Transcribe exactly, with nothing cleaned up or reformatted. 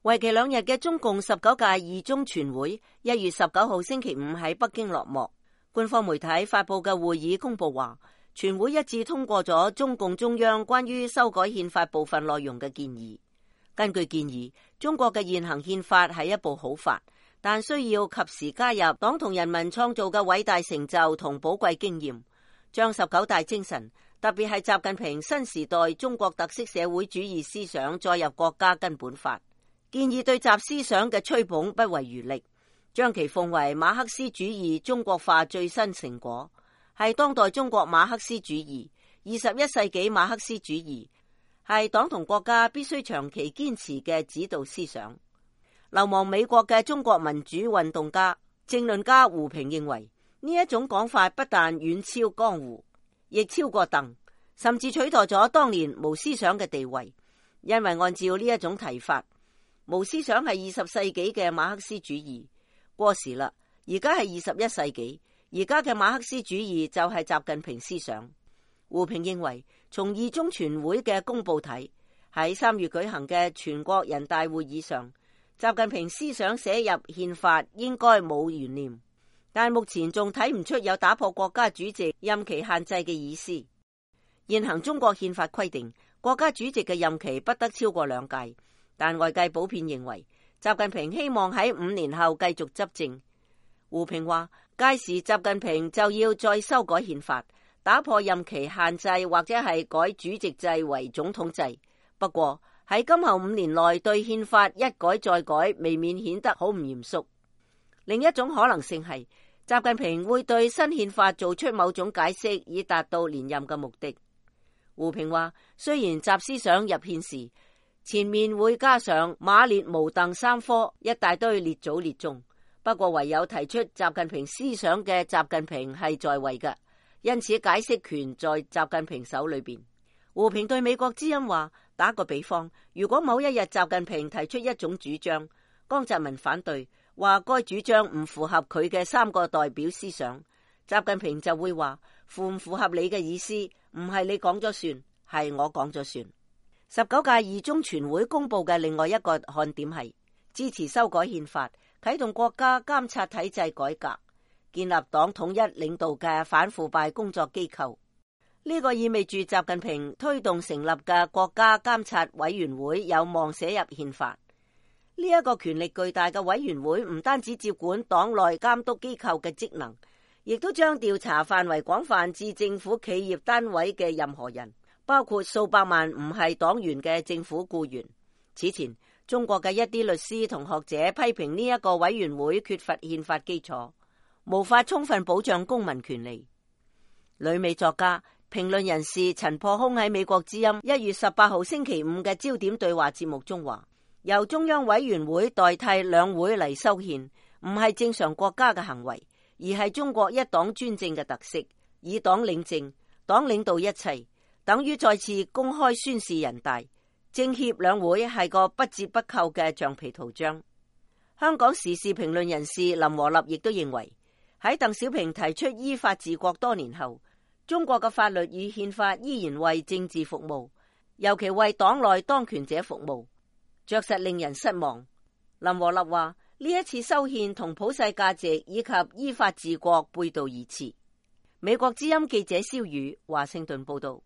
為期兩日嘅中共十九屆二中全會一月十九號星期五喺北京落幕。官方媒體發佈嘅會議公佈話，全會一致通過咗中共中央關於修改憲法部分內容嘅建議。根據建議，中國嘅現行憲法係一部好法，但需要及時加入黨同人民創造嘅偉大成就同寶貴經驗，將十九大精神，特別係習近平新時代中國特色社會主義思想載入國家根本法。建議對習思想嘅吹捧不遺餘力，將其奉為馬克思主義中國化最新成果，係當代中國馬克思主義、二十一世紀馬克思主義，係黨同國家必須長期堅持嘅指導思想。流亡美國嘅中國民主運動家、政論家胡平認為，呢一種講法不但遠超江湖，亦超過鄧，甚至取代咗當年無思想嘅地位。因為按照呢一種提法，無思想係二十世紀嘅馬克思主義，過時啦。而家係二十一世紀，而家嘅馬克思主義就係習近平思想。胡平認為，從二中全會嘅公佈睇，喺三月舉行嘅全國人大會議上，習近平思想寫入憲法應該冇懸念，但目前仲睇唔出有打破國家主席任期限制嘅意思。現行中國憲法規定，國家主席嘅任期不得超過兩屆。但外界普遍認為，習近平希望喺五年後繼續執政。胡平話，屆時習近平就要再修改憲法，打破任期限制，或者係改主席制為總統制。不過喺今後五年內對憲法一改再改，未免顯得好唔嚴肅。另一種可能性係，習近平會對新憲法做出某種解釋，以達到連任嘅目的。胡平話，雖然習思想入憲時，前面會加上馬列毛鄧三科一大堆列祖列宗，不過唯有提出習近平思想嘅習近平係在位嘅，因此解釋權在習近平手裏邊。胡平對美國之音話，打個比方，如果某一日習近平提出一種主張，江澤民反對，話該主張唔符合佢嘅三個代表思想，習近平就會話，符唔符合你嘅意思，唔係你講咗算，係我講咗算。十九屆二中全會公佈嘅另外一個看點係支持修改憲法，啟動國家監察體制改革，建立黨統一領導嘅反腐敗工作機構。呢個意味住習近平推動成立嘅國家監察委員會有望寫入憲法。呢一個權力巨大嘅委員會唔單止接管黨內監督機構嘅職能，亦都將調查範圍廣泛至政府企業單位嘅任何人，包括數百萬唔係黨員嘅政府僱員。此前，中國嘅一啲律師同學者批評呢一個委員會缺乏憲法基礎，無法充分保障公民權利。旅美作家、評論人士陳破空喺美國之音一月十八號星期五嘅焦點對話節目中話，由中央委員會代替兩會嚟修憲，唔係正常國家嘅行為，而係中國一黨專政嘅特色，以黨領政，黨領導一切。等於再次公開宣示人大政協兩會係個不折不扣嘅橡皮圖章。香港時事評論人士林和立亦都認為，喺鄧小平提出依法治國多年後，中國嘅法律與憲法依然為政治服務，尤其為黨內當權者服務，着實令人失望。林和立話，呢一次修憲同普世價值以及依法治國背道而馳。美國之音記者蕭宇華盛頓報道。